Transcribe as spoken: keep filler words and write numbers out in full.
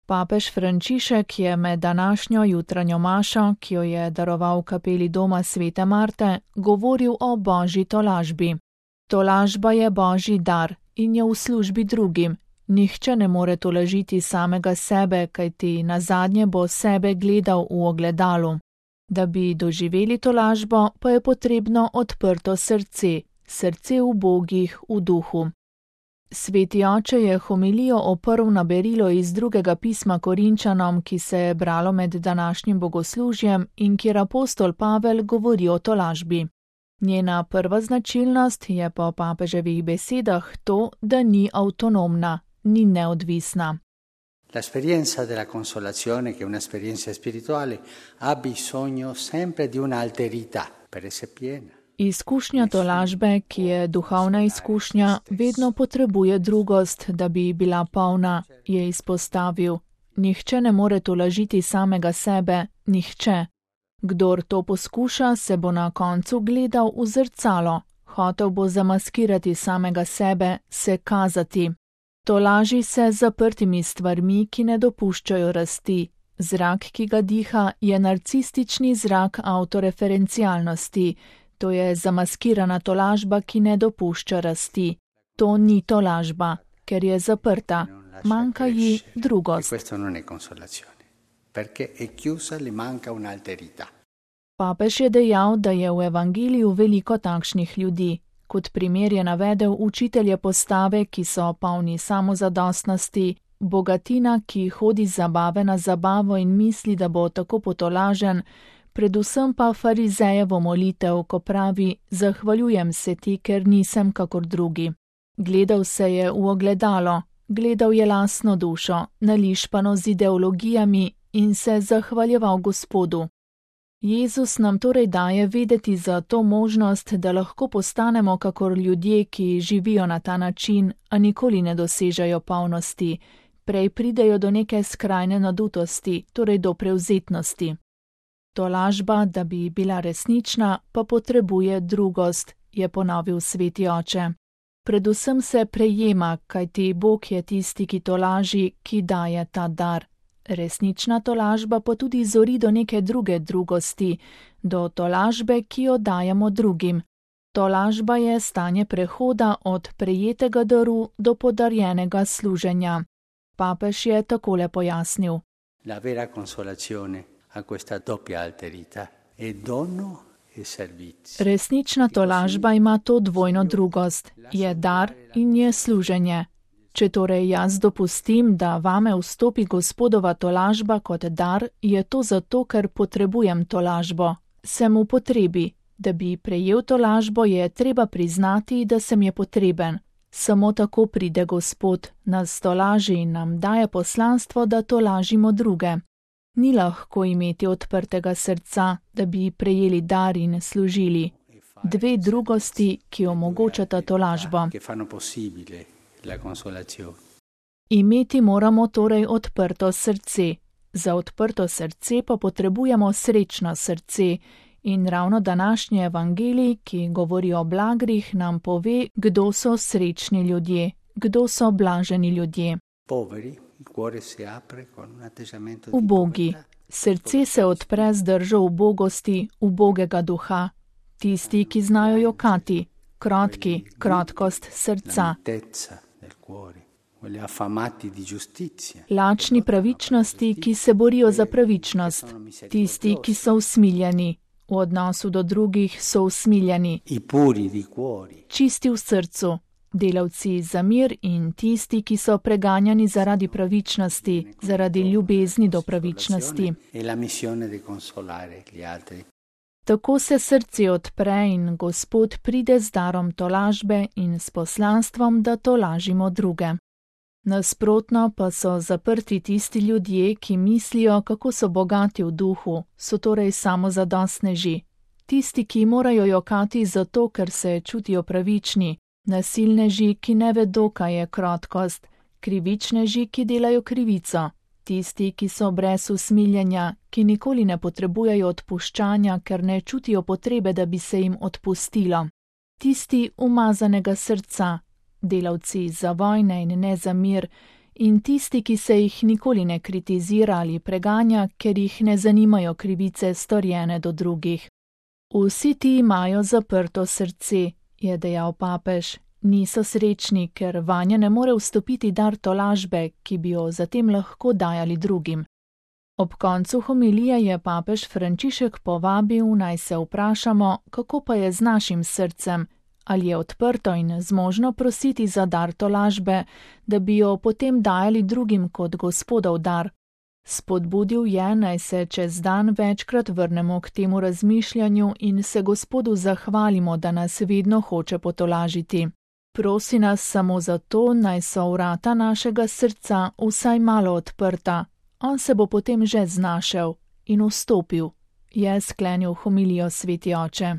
Papež Frančišek je med današnjo jutranjo mašo, ki jo je daroval v kapeli doma svete Marte, govoril o božji tolažbi. Tolažba je božji dar in je v službi drugim. Nihče ne more tolažiti samega sebe, kajti nazadnje bo sebe gledal v ogledalu. Da bi doživeli tolažbo, pa je potrebno odprto srce, srce ubogih v duhu. Sveti oče je homilijo oprl na berilo iz drugega pisma Korinčanom, ki se je bralo med današnjim bogoslužjem in kjer apostol Pavel govori o tolažbi. Njena prva značilnost je po papeževih besedah to, da ni avtonomna, ni neodvisna. L'esperienza della consolazione, che è un'esperienza spirituale, ha bisogno sempre di un'alterità per essere piena. Izkušnja tolažbe, ki je duhovna izkušnja, vedno potrebuje drugost, da bi bila polna, je izpostavil. Nihče ne more tolažiti samega sebe, nihče. Kdor to poskuša, se bo na koncu gledal v zrcalo, hotel bo zamaskirati samega sebe, se kazati. Tolaži se z zaprtimi stvarmi, ki ne dopuščajo rasti. Zrak, ki ga diha, je narcistični zrak avtoreferencialnosti. To je zamaskirana tolažba, ki ne dopušča rasti. To ni tolažba, ker je zaprta. Manjka ji drugost. Papež je dejal, da je v evangeliju veliko takšnih ljudi. Kot primer je navedel učitelje postave, ki so polni samozadostnosti, bogatina, ki hodi z zabave na zabavo in misli, da bo tako potolažen, predvsem pa farizejevo molitev, ko pravi: zahvaljujem se ti, ker nisem kakor drugi. Gledal se je v ogledalo, gledal je lastno dušo, nališpano z ideologijami in se zahvaljeval Gospodu. Jezus nam torej daje vedeti za to možnost, da lahko postanemo kakor ljudje, ki živijo na ta način, a nikoli ne dosežejo polnosti, prej pridejo do neke skrajne nadutosti, torej do prevzetnosti. Tolažba, da bi bila resnična, pa potrebuje drugost, je ponovil sveti oče. Predvsem se prejema, kajti Bog je tisti, ki tolaži, ki daje ta dar. Resnična tolažba pa tudi zori do neke druge drugosti, do tolažbe, ki jo dajemo drugim. Tolažba je stanje prehoda od prejetega daru do podarjenega služenja. Papež je takole pojasnil. La vera consolazione ha questa doppia alterità, è dono e servizio. Resnična tolažba ima to dvojno drugost, je dar in je služenje. Če torej jaz dopustim, da vame vstopi Gospodova tolažba kot dar, je to zato, ker potrebujem tolažbo. Sem v potrebi. Da bi prejel tolažbo, je treba priznati, da sem je potreben. Samo tako pride Gospod, nas tolaži in nam daje poslanstvo, da tolažimo druge. Ni lahko imeti odprtega srca, da bi prejeli dar in služili. Dve drugosti, ki omogočata tolažbo. Imeti moramo torej odprto srce. Za odprto srce pa potrebujemo srečno srce. In ravno današnji evangelij, ki govori o blagrih, nam pove, kdo so srečni ljudje, kdo so blaženi ljudje. Ubogi. Srce se odpre z držo ubogosti, ubogega duha. Tisti, ki znajo jokati, krotki, krotkost srca. Lačni pravičnosti, ki se borijo za pravičnost. Tisti, ki so usmiljeni. V odnosu do drugih so usmiljeni. Čisti v srcu. Delavci za mir in tisti, ki so preganjani zaradi pravičnosti, zaradi ljubezni do pravičnosti. Tako se srce odpre in Gospod pride z darom tolažbe in s poslanstvom, da tolažimo druge. Nasprotno pa so zaprti tisti ljudje, ki mislijo, kako so bogati v duhu, so torej samozadostneži. Tisti, ki morajo jokati zato, ker se čutijo pravični, nasilneži, ki ne vedo, kaj je krotkost, krivičneži, ki delajo krivico, tisti, ki so brez usmiljenja, ki nikoli ne potrebujejo odpuščanja, ker ne čutijo potrebe, da bi se jim odpustilo. Tisti umazanega srca, delavci za vojne in ne za mir, in tisti, ki se jih nikoli ne kritizira ali preganja, ker jih ne zanimajo krivice storjene do drugih. Vsi ti imajo zaprto srce, je dejal papež, niso srečni, ker vanje ne more vstopiti dar tolažbe, ki bi jo zatem lahko dajali drugim. Ob koncu homilije je papež Frančišek povabil, naj se vprašamo, kako pa je z našim srcem, ali je odprto in zmožno prositi za dar tolažbe, da bi jo potem dajali drugim kot Gospodov dar. Spodbudil je, naj se čez dan večkrat vrnemo k temu razmišljanju in se Gospodu zahvalimo, da nas vedno hoče potolažiti. Prosi nas samo zato, naj so vrata našega srca vsaj malo odprta. On se bo potem že znašel in vstopil, je sklenil homilijo sveti oče.